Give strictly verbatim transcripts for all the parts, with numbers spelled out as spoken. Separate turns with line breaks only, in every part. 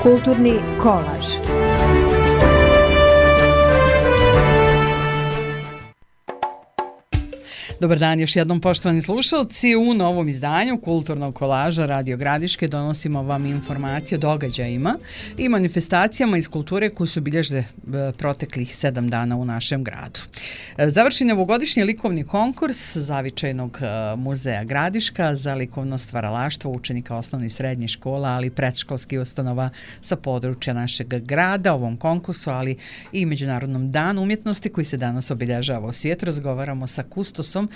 Kulturni kolaž.
Dobar dan još jednom, poštovani slušalci. U novom izdanju Kulturnog kolaža Radio Gradiške donosimo vam informacije o događajima i manifestacijama iz kulture koji su obilježile proteklih sedam dana u našem gradu. Završen je ovogodišnji likovni konkurs Zavičajnog muzeja Gradiška za likovno stvaralaštvo učenika osnovnih i srednjih škola, ali i predškolskih ustanova sa područja našeg grada. Ovom konkursu, ali i Međunarodnom danu umjetnosti koji se danas obilježava u svijetu, razgovaramo sa kustosom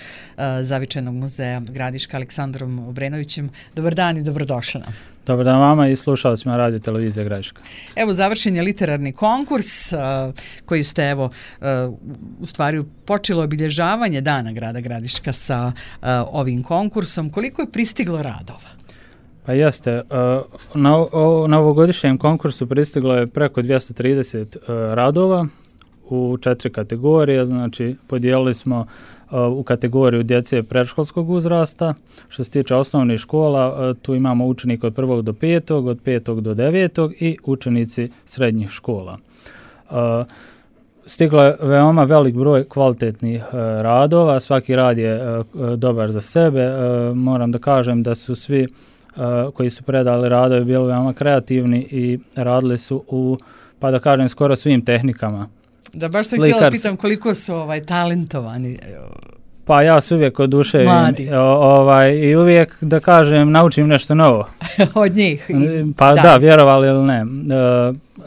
Zavičajnog muzeja Gradiška Aleksandrom Obrenovićem. Dobar dan i dobrodošli nam.
Dobar dan vama i slušalcima Radio Televizije Gradiška.
Evo, završen je literarni konkurs uh, koji ste, evo, uh, u stvari počelo obilježavanje Dana grada Gradiška sa uh, ovim konkursom. Koliko je pristiglo radova?
Pa jeste, uh, na, o, na ovogodišnjem konkursu pristiglo je preko dvjesto trideset uh, radova u četiri kategorije, znači podijelili smo u kategoriju djece predškolskog uzrasta. Što se tiče osnovnih škola, tu imamo učenike od prvog do petog, od petog do devetog i učenici srednjih škola. Stiglo je veoma velik broj kvalitetnih radova, svaki rad je dobar za sebe. Moram da kažem da su svi koji su predali radove bili veoma kreativni i radili su u, pa da kažem, skoro svim tehnikama.
Da, baš sam htjela pitam koliko su ovaj, talentovani.
Pa ja se uvijek oduševim ovaj, i uvijek, da kažem, naučim nešto novo.
Od njih?
Pa da, da vjerovali ili ne. E,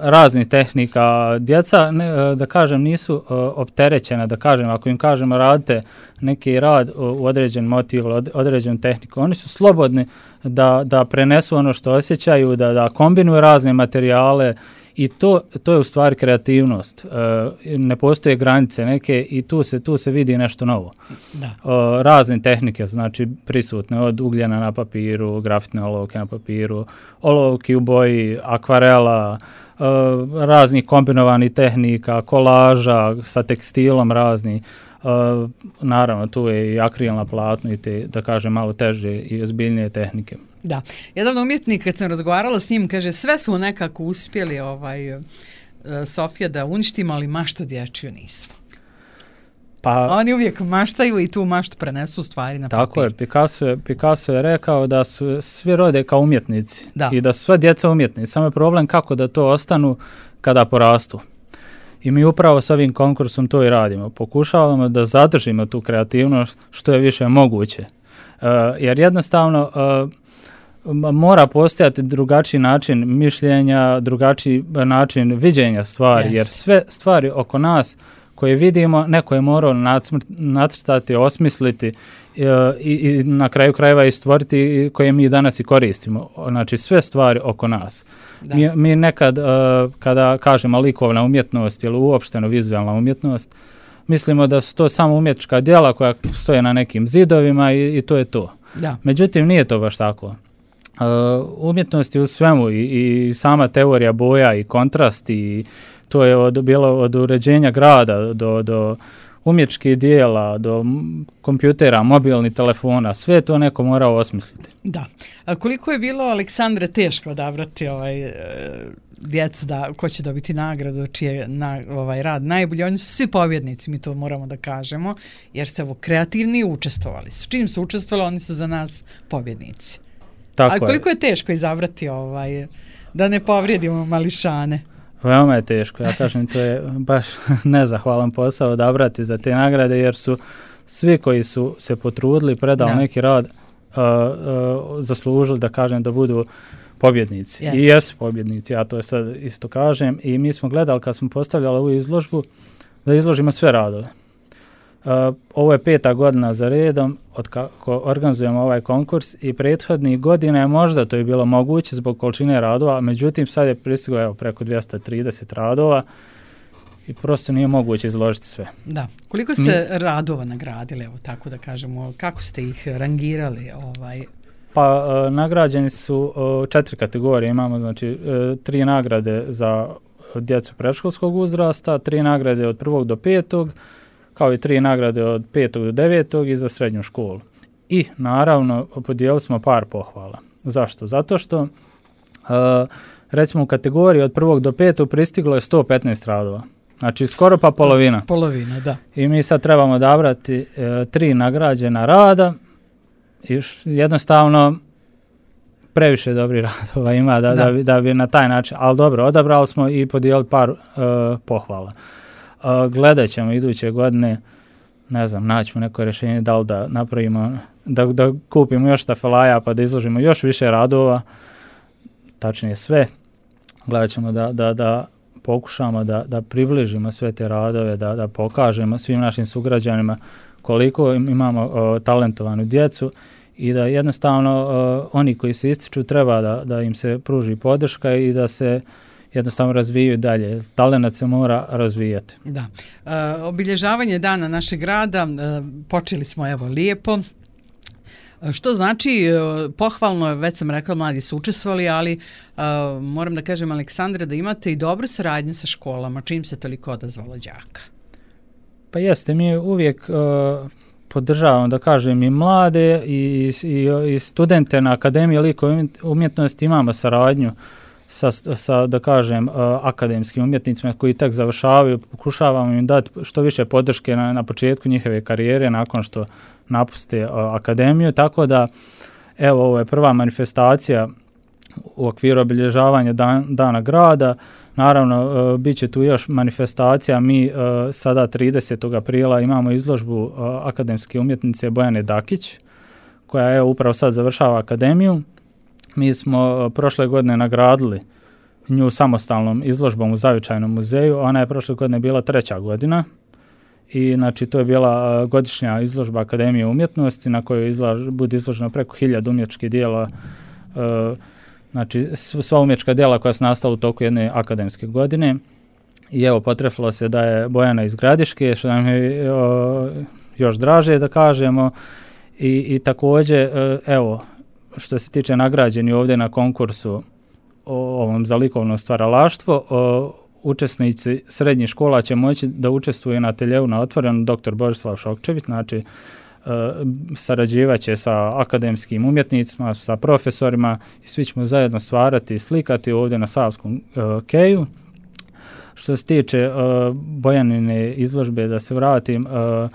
raznih tehnika. Djeca, ne, da kažem, nisu e, opterećena, da kažem, ako im kažemo radite neki rad u određen motiv, određenu tehniku, oni su slobodni da, da prenesu ono što osjećaju, da, da kombinuju razne materijale. I to, to je u stvari kreativnost. E, ne postoje granice neke i tu se, tu se vidi nešto novo. Da. E, razne tehnike znači prisutne, od ugljena na papiru, grafitne olovke na papiru, olovki u boji, akvarela, e, raznih kombinovanih tehnika, kolaža sa tekstilom razni. E, naravno, tu je i akril na platnu i te, da kažem, malo teže i ozbiljnije tehnike.
Da. Jedan umjetnik, kad sam razgovarala s njim, kaže, sve smo nekako uspjeli ovaj, uh, Sofija da uništimo, ali maštu dječju nismo. Pa, oni uvijek maštaju i tu maštu prenesu u stvari na papir.
Tako je, Picasso je, Picasso je rekao da su svi rode kao umjetnici
da.
I da su sva djeca umjetnici. Samo je problem kako da to ostanu kada porastu. I mi upravo s ovim konkursom to i radimo. Pokušavamo da zadržimo tu kreativnost što je više moguće. Uh, jer jednostavno uh, mora postojati drugačiji način mišljenja, drugačiji način viđenja stvari, yes. Jer sve stvari oko nas koje vidimo, neko je morao nacrtati, osmisliti i, i, i na kraju krajeva i stvoriti koje mi danas i koristimo. Znači sve stvari oko nas. Mi, mi nekad, uh, kada kažemo likovna umjetnost ili uopšteno vizualna umjetnost, mislimo da su to samo umjetnička djela koja stoje na nekim zidovima i, i to je to. Da. Međutim, nije to baš tako. Uh, umjetnost je u svemu i, i sama teorija boja i kontrast i to je od, bilo od uređenja grada do, do umjetničkih dijela, do kompjutera, mobilnih telefona, sve to neko morao osmisliti.
Da. A koliko je bilo, Aleksandre, teško odabrati ovaj, e, djecu da, ko će dobiti nagradu, čiji je na, ovaj, rad najbolji? Oni su svi pobjednici, mi to moramo da kažemo, jer se ovo kreativni učestvovali su. Čim su učestvovali, oni su za nas pobjednici. Tako. A koliko je. je teško izabrati ovaj, da ne povrijedimo mališane?
Veoma je teško, ja kažem, to je baš nezahvalan posao odabrati za te nagrade, jer su svi koji su se potrudili, predali da. neki rad, uh, uh, zaslužili, da kažem, da budu pobjednici. Yes. I jesu pobjednici, ja to sad isto kažem. I mi smo gledali, kad smo postavljali ovu izložbu, da izložimo sve radove. Uh, ovo je peta godina za redom od kako organizujemo ovaj konkurs i prethodnih godina je možda to je bilo moguće zbog količine radova, međutim sad je pristiglo evo preko dvjesto trideset radova i prosto nije moguće izložiti sve.
Da. Koliko ste Mi... radova nagradili, evo tako da kažemo, kako ste ih rangirali? Ovaj?
Pa uh, nagrađeni su uh, četiri kategorije, imamo znači uh, tri nagrade za djecu predškolskog uzrasta, tri nagrade od prvog do petog, kao i tri nagrade od petog do devetog i za srednju školu. I naravno podijelili smo par pohvala. Zašto? Zato što uh, recimo u kategoriji od prvog do petog pristiglo je sto petnaest radova. Znači skoro pa polovina.
Polovina, da.
I mi sad trebamo odabrati e, tri nagrađena rada i jednostavno previše dobrih radova ima da, da. Da, bi, da bi na taj način, ali dobro, odabrali smo i podijelili par e, pohvala. E, gledat ćemo iduće godine, ne znam, naćemo neko rješenje da li da napravimo, da, da kupimo još stafelaja pa da izložimo još više radova, tačnije sve. Gledat ćemo da, da, da pokušamo da, da približimo sve te radove, da, da pokažemo svim našim sugrađanima koliko imamo o, talentovanu djecu i da jednostavno o, oni koji se ističu treba da, da im se pruži podrška i da se jednostavno razvijaju dalje. Talenat se mora razvijati.
Da. E, obilježavanje dana našeg grada, e, počeli smo evo lijepo. Što znači, pohvalno, već sam rekla, mladi su učestvovali, ali uh, moram da kažem, Aleksandre, da imate i dobru saradnju sa školama, čim se toliko odazvalo đaka.
Pa jeste, mi uvijek uh, podržavamo, da kažem, i mlade i, i, i studente na Akademiji likovne umjetnosti, imamo saradnju sa, sa da kažem, uh, akademskim umjetnicima koji tek završavaju, pokušavamo im dati što više podrške na, na početku njihove karijere, nakon što napuste uh, akademiju, tako da evo ovo je prva manifestacija u okviru obilježavanja dan, dana grada. Naravno, uh, bit će tu još manifestacija. Mi uh, sada tridesetog aprila imamo izložbu uh, akademske umjetnice Bojane Dakić, koja je upravo sad završava akademiju. Mi smo uh, prošle godine nagradili nju samostalnom izložbom u Zavičajnom muzeju. Ona je prošle godine bila treća godina. I znači to je bila godišnja izložba Akademije umjetnosti na kojoj izlaž, bude izloženo preko hiljadu umjetničkih dijela, e, znači sva umjetnička dijela koja su nastala u toku jedne akademske godine. I evo, potrefilo se da je Bojana iz Gradiške, što nam je o, još draže da kažemo. I, i također, e, evo, što se tiče nagrađeni ovdje na konkursu o ovom za likovno stvaralaštvo, o, učesnici srednjih škola će moći da učestvuju na ateljeu na otvorenom doktor Borislav Šokčević, znači e, sarađivaće sa akademskim umjetnicima, sa profesorima i svi ćemo zajedno stvarati i slikati ovdje na Savskom e, keju. Što se tiče e, Bojanine izložbe, da se vratim, e,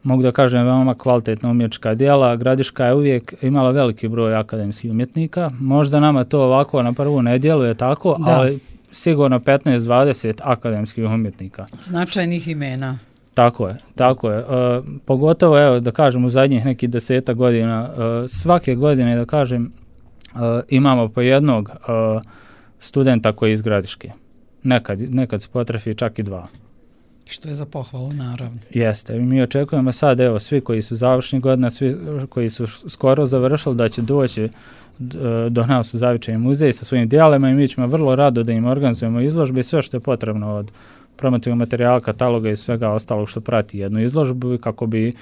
mogu da kažem veoma kvalitetna umjetnička djela. Gradiška je uvijek imala veliki broj akademskih umjetnika. Možda nama to ovako na prvu ne djeluje tako, da. Ali sigurno petnaest dvadeset akademskih umjetnika.
Značajnih imena.
Tako je, tako je. E, pogotovo, evo, da kažem, u zadnjih nekih deseta godina, e, svake godine, da kažem, e, imamo po jednog e, studenta koji je iz Gradiške. Nekad, nekad se potrefi čak i dva.
Što je za pohvalu, naravno.
Jeste. I mi očekujemo sad, evo, svi koji su završni godina, svi koji su skoro završili, da će doći do nas u Zavičajni muzej sa svojim dijelima i mi ćemo vrlo rado da im organizujemo izložbe i sve što je potrebno od promotivnog materijala, kataloga i svega ostalog što prati jednu izložbu kako bi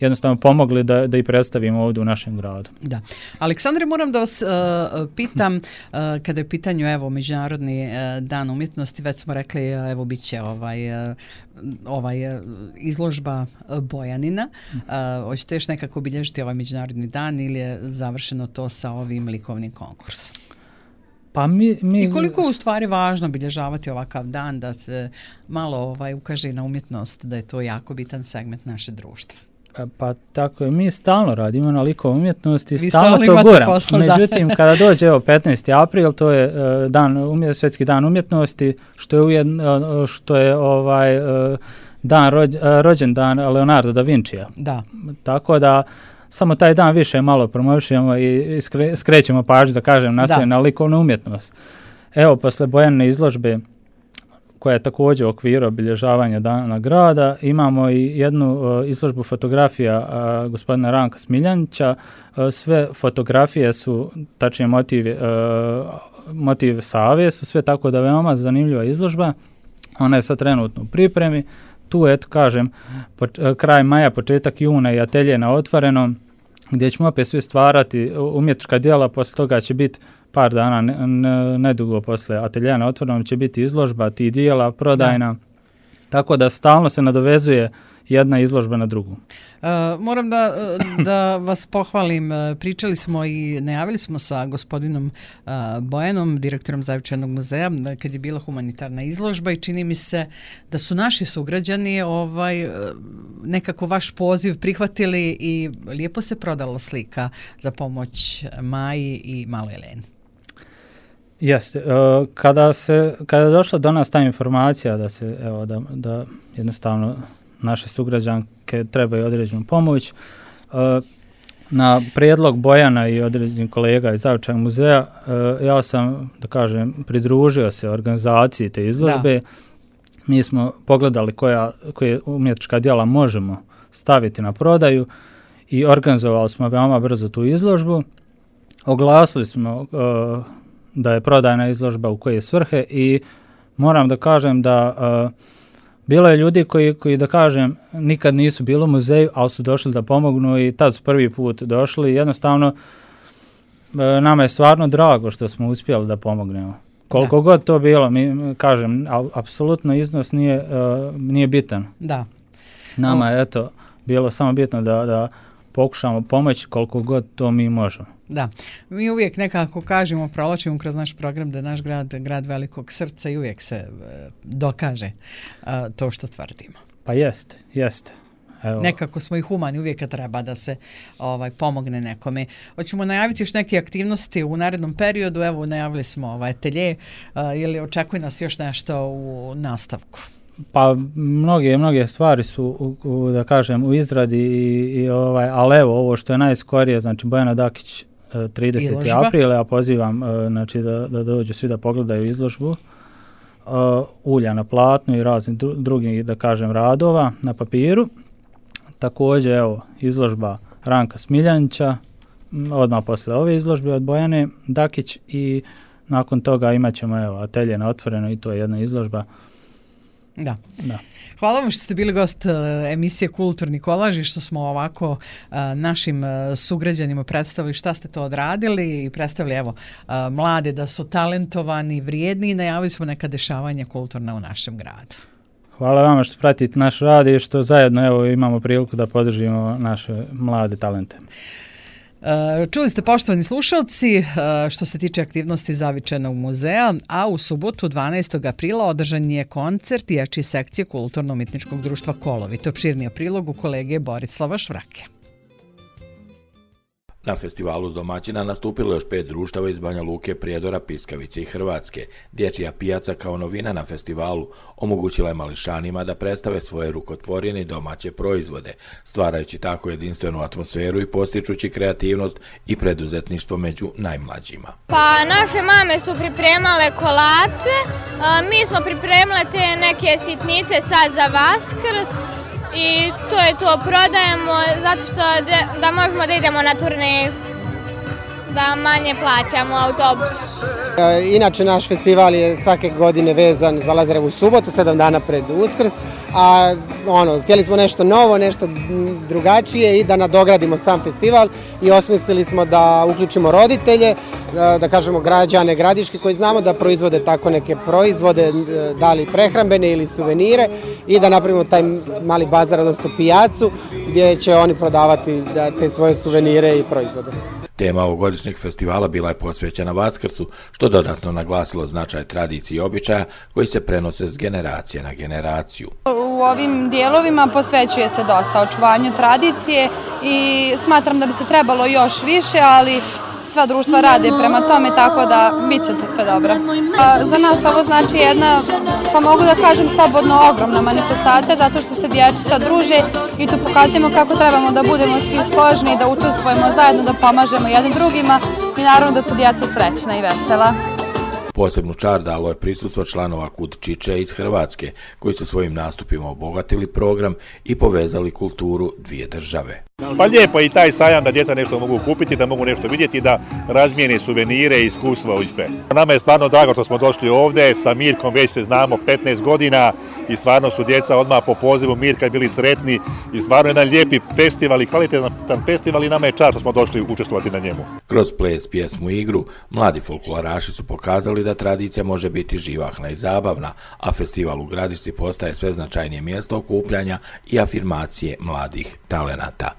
jednostavno pomogli da, da i predstavimo ovdje u našem gradu.
Da. Aleksandre, moram da vas uh, pitam, uh, kada je pitanju evo Međunarodni uh, dan umjetnosti, već smo rekli, uh, evo bit će ovaj, uh, ovaj uh, izložba uh, Bojanina. Uh, hoćete još nekako obilježiti ovaj Međunarodni dan ili je završeno to sa ovim likovnim konkursom?
Pa mi, mi...
I koliko je u stvari važno obilježavati ovakav dan, da se malo ovaj, ukaže na umjetnost, da je to jako bitan segment naše društva?
Pa tako je, mi stalno radimo na likovnoj umjetnosti, stalno to guramo. Međutim, da. Kada dođe evo petnaesti april, to je uh, dan umjet, svjetski dan umjetnosti, što je ujedno, uh, što je ovaj uh, dan rođ, uh, rođendan Leonardo da Vincija.
Da.
Tako da samo taj dan više malo promovišemo i skre, skrećemo pažnju, da kažem, na sve na likovnu umjetnost. Evo, posle Bojanine izložbe, koja je također u okviru obilježavanja dana grada, imamo i jednu uh, izložbu fotografija uh, gospodina Ranka Smiljanića. Uh, sve fotografije su, tačnije motiv, uh, motiv Save su sve, tako da veoma zanimljiva izložba. Ona je sad trenutno u pripremi. Tu, eto, kažem, po, uh, kraj maja, početak juna i atelje na otvorenom, gdje ćemo opet sve stvarati umjetnička djela, poslije toga će biti par dana, nedugo posle ateljeja na otvorenom će biti izložba tih dijela, prodajna, da. Tako da stalno se nadovezuje jedna izložba na drugu.
Uh, moram da, da vas pohvalim. Pričali smo i najavili smo sa gospodinom uh, Bojanom, direktorom Zavičajnog muzeja, kad je bila humanitarna izložba i čini mi se da su naši sugrađani ovaj, nekako vaš poziv prihvatili i lijepo se prodala slika za pomoć Maji i maloj Eleni.
Jeste. Kada se, kada je došla do nas ta informacija da se, evo, da, da jednostavno naše sugrađanke trebaju određenu pomoć, na prijedlog Bojana i određenih kolega iz Zavičajnog muzeja, ja sam, da kažem, pridružio se organizaciji te izložbe. Da. Mi smo pogledali koja, koje umjetnička djela možemo staviti na prodaju i organizovali smo veoma brzo tu izložbu. Oglasili smo uh, da je prodajna izložba u koje svrhe i moram da kažem da uh, bilo je ljudi koji, koji, da kažem, nikad nisu bili u muzeju, ali su došli da pomognu i tad su prvi put došli. Jednostavno, uh, nama je stvarno drago što smo uspjeli da pomognemo. Koliko da. god to bilo, mi kažem, apsolutno iznos nije, uh, nije bitan.
Da.
Nama je, eto, bilo samo bitno da, da pokušamo pomoći koliko god to mi možemo.
Da, mi uvijek nekako kažemo, provlačimo kroz naš program da je naš grad grad velikog srca i uvijek se uh, dokaže uh, to što tvrdimo.
Pa jeste, jeste. Evo.
Nekako smo i humani, uvijek treba da se ovaj pomogne nekome. Hoćemo najaviti još neke aktivnosti u narednom periodu, evo najavili smo ovaj atelje, uh, ili očekuje nas još nešto u nastavku?
Pa mnoge mnoge stvari su u, u, da kažem u izradi i, i ovaj, ali evo ovo što je najskorije, znači Bojana Dakić trideseti april, ja pozivam znači da, da dođu svi da pogledaju izložbu uh, ulja na platnu i raznih dru, drugih, da kažem, radova na papiru. Također evo izložba Ranka Smiljanića odmah posle ove izložbe od Bojane Dakić i nakon toga imat ćemo evo atelje na otvoreno i to je jedna izložba.
Da.
Da.
Hvala vam što ste bili gost uh, emisije Kulturni kolaž i što smo ovako uh, našim uh, sugrađanima predstavili šta ste to odradili i predstavili evo uh, mlade da su talentovani, vrijedni i najavili smo neka dešavanja kulturna u našem gradu.
Hvala vama što pratite naš rad i što zajedno evo imamo priliku da podržimo naše mlade talente.
Čuli ste, poštovani slušalci, što se tiče aktivnosti Zavičajnog muzeja, a u subotu dvanaestog aprila održan je koncert dječje sekcije Kulturno-umjetničkog društva Kolovi. To je opširniji prilog u kolege Borislava Švrake.
Na festivalu s domaćina nastupilo još pet društava iz Banja Luke, Prijedora, Piskavice i Hrvatske. Dječja pijaca kao novina na festivalu omogućila je mališanima da predstave svoje rukotvorine i domaće proizvode, stvarajući tako jedinstvenu atmosferu i postičući kreativnost i preduzetništvo među najmlađima.
Pa naše mame su pripremale kolače, mi smo pripremale te neke sitnice sad za Vaskrs. I to je to, prodajemo zato što de, da možemo da idemo na turneju, da manje plaćamo autobus.
Inače naš festival je svake godine vezan za Lazarevu subotu, sedam dana pred Uskrs, a ono, htjeli smo nešto novo, nešto drugačije i da nadogradimo sam festival i osmislili smo da uključimo roditelje, da, da kažemo građane Gradiške koji znamo da proizvode tako neke proizvode, da li prehrambene ili suvenire i da napravimo taj mali bazar, odnosno pijacu gdje će oni prodavati da, te svoje suvenire i proizvode.
Tema ovogodišnjeg festivala bila je posvećena Vaskrsu, što dodatno naglasilo značaj tradicije i običaja koji se prenose s generacije na generaciju.
U ovim dijelovima posvećuje se dosta očuvanju tradicije i smatram da bi se trebalo još više, ali sva društva rade prema tome, tako da bit će sve dobro. Za nas ovo znači jedna, pa mogu da kažem slobodno, ogromna manifestacija, zato što se dječica druže i tu pokazujemo kako trebamo da budemo svi složni, da učestvujemo zajedno, da pomažemo jednim drugima i naravno da su djeca srećna i vesela.
Posebnu čar dalo je prisustvo članova Kud Čiče iz Hrvatske, koji su svojim nastupima obogatili program i povezali kulturu dvije države.
Pa lijepo i taj sajam da djeca nešto mogu kupiti, da mogu nešto vidjeti, da razmijene suvenire, iskustvo i sve. Nama je stvarno drago što smo došli ovdje, sa Mirkom već se znamo petnaest godina i stvarno su djeca odmah po pozivu Mirka bili sretni i stvarno jedan lijepi festival i kvalitetan festival i nama je čast što smo došli učestvovati na njemu.
Kroz ples, pjesmu i igru, mladi folkloraši su pokazali da tradicija može biti živahna i zabavna, a festival u Gradišci postaje sve značajnije mjesto okupljanja i afirmacije mladih talenata.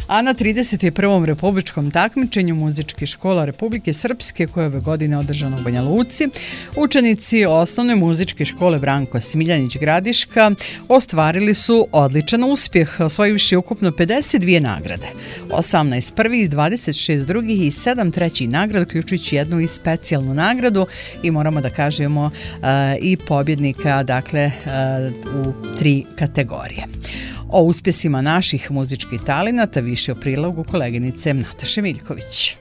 A na trideset prvom republičkom takmičenju muzičkih škola Republike Srpske, koje ove godine održano u Banja Luci, učenici osnovne muzičke škole Branko Smiljanić Gradiška ostvarili su odličan uspjeh, osvojivši ukupno pedeset dvije nagrade, osamnaest prvih, dvadeset šest drugih i sedam trećih nagrada, uključujući jednu i specijalnu nagradu i moramo da kažemo uh, i pobjednika, dakle, uh, u tri kategorije. O uspjesima naših muzičkih talenata više o prilogu koleginice Nataše Miljković.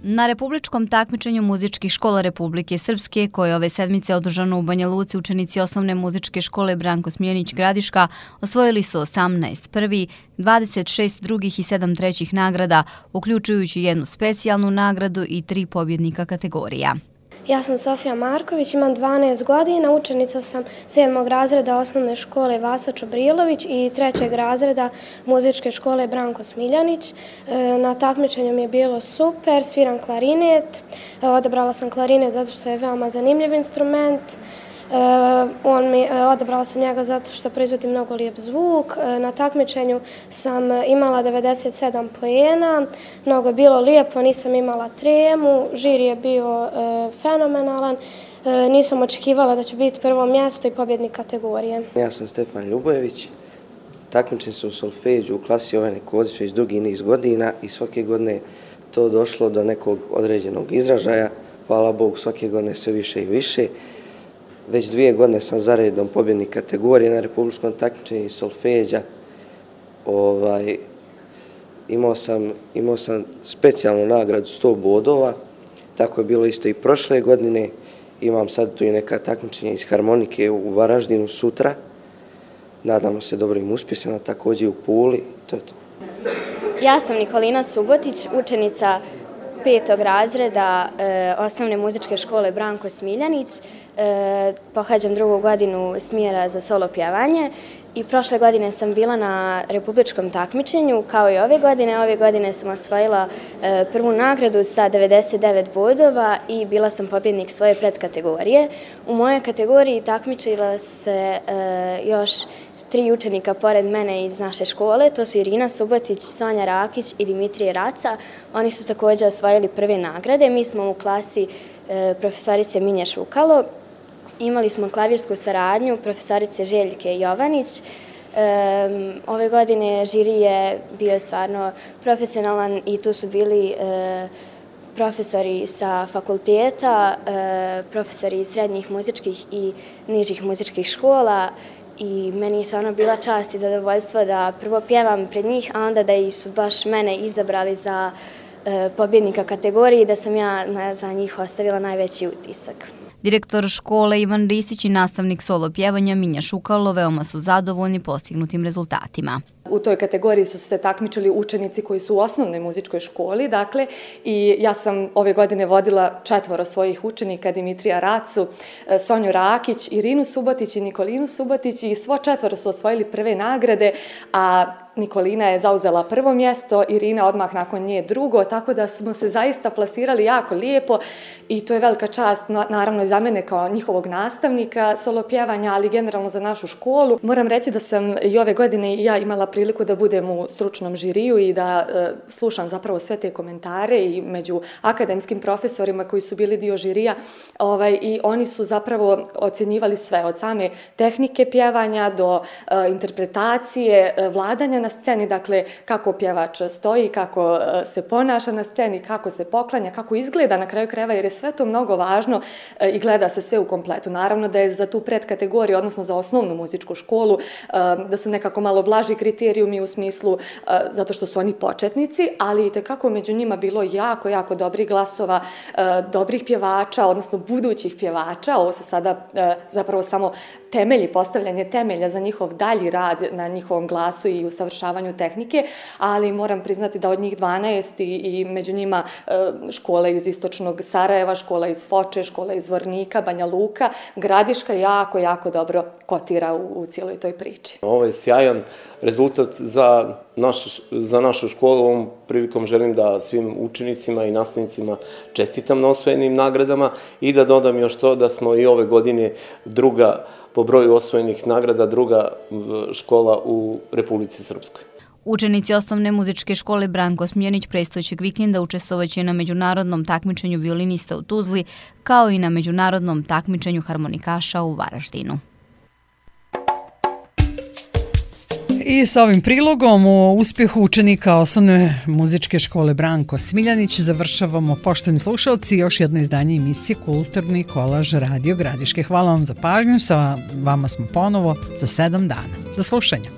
Na republičkom takmičenju muzičkih škola Republike Srpske, koje ove sedmice održano u Banja Luci, učenici osnovne muzičke škole Branko Smiljanić Gradiška osvojili su osamnaest prvih, dvadeset šest drugih i sedam trećih nagrada, uključujući jednu specijalnu nagradu i tri pobjednika kategorija.
Ja sam Sofija Marković, imam dvanaest godina, učenica sam sedmog razreda osnovne škole Vasa Čobrilović i trećeg razreda muzičke škole Branko Smiljanić. Na takmičenju mi je bilo super, sviram klarinet, odabrala sam klarinet zato što je veoma zanimljiv instrument. On mi, odabrala sam njega zato što proizvodi mnogo lijep zvuk. Na takmičenju sam imala devedeset sedam poena, mnogo je bilo lijepo, nisam imala tremu, žiri je bio fenomenalan, nisam očekivala da ću biti prvo mjesto i pobjednik kategorije.
Ja sam Stefan Ljubojević, takmičim se u solfeđu u klasi Jovane Kodić već dugi niz godina i svake godine to došlo do nekog određenog izražaja, hvala Bogu svake godine sve više i više. Već dvije godine sam za redom pobjednik kategorije na republičkom takmičenju solfeđa. Ovaj, imao sam, imao sam specijalnu nagradu sto bodova, tako je bilo isto i prošle godine. Imam sad tu i neka takmičenja iz harmonike u Varaždinu sutra. Nadamo se dobrim uspjesima, također u Puli. To je to.
Ja sam Nikolina Subotić, učenica petog razreda e, osnovne muzičke škole Branko Smiljanić. E, pohađam drugu godinu smjera za solo pjevanje i prošle godine sam bila na republičkom takmičenju, kao i ove godine. Ove godine sam osvojila e, prvu nagradu sa devedeset devet bodova i bila sam pobjednik svoje predkategorije. U mojoj kategoriji takmičila se e, još tri učenika pored mene iz naše škole, to su Irina Subotić, Sonja Rakić i Dimitrije Raca. Oni su također osvojili prve nagrade. Mi smo u klasi e, profesorice Minje Šukalo. Imali smo klavirsku saradnju profesorice Željke Jovanić. E, ove godine žiri je bio stvarno profesionalan i tu su bili e, profesori sa fakulteta, e, profesori srednjih muzičkih i nižih muzičkih škola. I meni je stvarno bila čast i zadovoljstvo da prvo pjevam pred njih, a onda da su baš mene izabrali za e, pobjednika kategorije i da sam ja na, za njih ostavila najveći utisak.
Direktor škole Ivan Risić i nastavnik solo pjevanja Minja Šukalo veoma su zadovoljni postignutim rezultatima.
U toj kategoriji su se takmičili učenici koji su u osnovnoj muzičkoj školi, dakle, i ja sam ove godine vodila četvoro svojih učenika, Dimitrija Racu, Sonju Rakić, Irinu Subotić i Nikolinu Subotić i svo četvoro su osvojili prve nagrade, a Nikolina je zauzela prvo mjesto, Irina odmah nakon nje drugo, tako da smo se zaista plasirali jako lijepo i to je velika čast, naravno i za mene kao njihovog nastavnika solo pjevanja, ali generalno za našu školu. Moram reći da sam i ove godine i ja imala priliku da budem u stručnom žiriju i da e, slušam zapravo sve te komentare i među akademskim profesorima koji su bili dio žirija, ovaj, i oni su zapravo ocjenjivali sve, od same tehnike pjevanja do e, interpretacije, e, vladanja na sceni, dakle kako pjevač stoji, kako e, se ponaša na sceni, kako se poklanja, kako izgleda na kraju krajeva, jer je sve to mnogo važno e, i gleda se sve u kompletu. Naravno da je za tu predkategoriju, odnosno za osnovnu muzičku školu, e, da su nekako malo blaži kriterijumi u smislu e, zato što su oni početnici, ali i tekako među njima bilo jako, jako dobrih glasova, e, dobrih pjevača, odnosno budućih pjevača. Ovo su sada e, zapravo samo temelji, postavljanje temelja za njihov dalji rad na njihovom glasu i usavršavanju tehnike, ali moram priznati da od njih dvanaest i, i među njima škole iz istočnog Sarajeva, škola iz Foče, škola iz Zvornika, Banja Luka, Gradiška jako, jako dobro kotira u, u cijeloj toj priči.
Ovo je sjajan rezultat za, naš, za našu školu. Ovom prilikom želim da svim učenicima i nastavnicima čestitam na osvojenim nagradama i da dodam još to da smo i ove godine druga po broju osvojenih nagrada, druga škola u Republici Srpskoj.
Učenici osnovne muzičke škole Branko Smiljanić predstojećeg vikenda učestvovaće na međunarodnom takmičenju violinista u Tuzli, kao i na međunarodnom takmičenju harmonikaša u Varaždinu.
I sa ovim prilogom o uspjehu učenika osnovne muzičke škole Branko Smiljanić završavamo, poštovani slušalci, još jedno izdanje emisije Kulturni kolaž Radio Gradiške. Hvala vam za pažnju, sa vama smo ponovo za sedam dana. Do slušanja.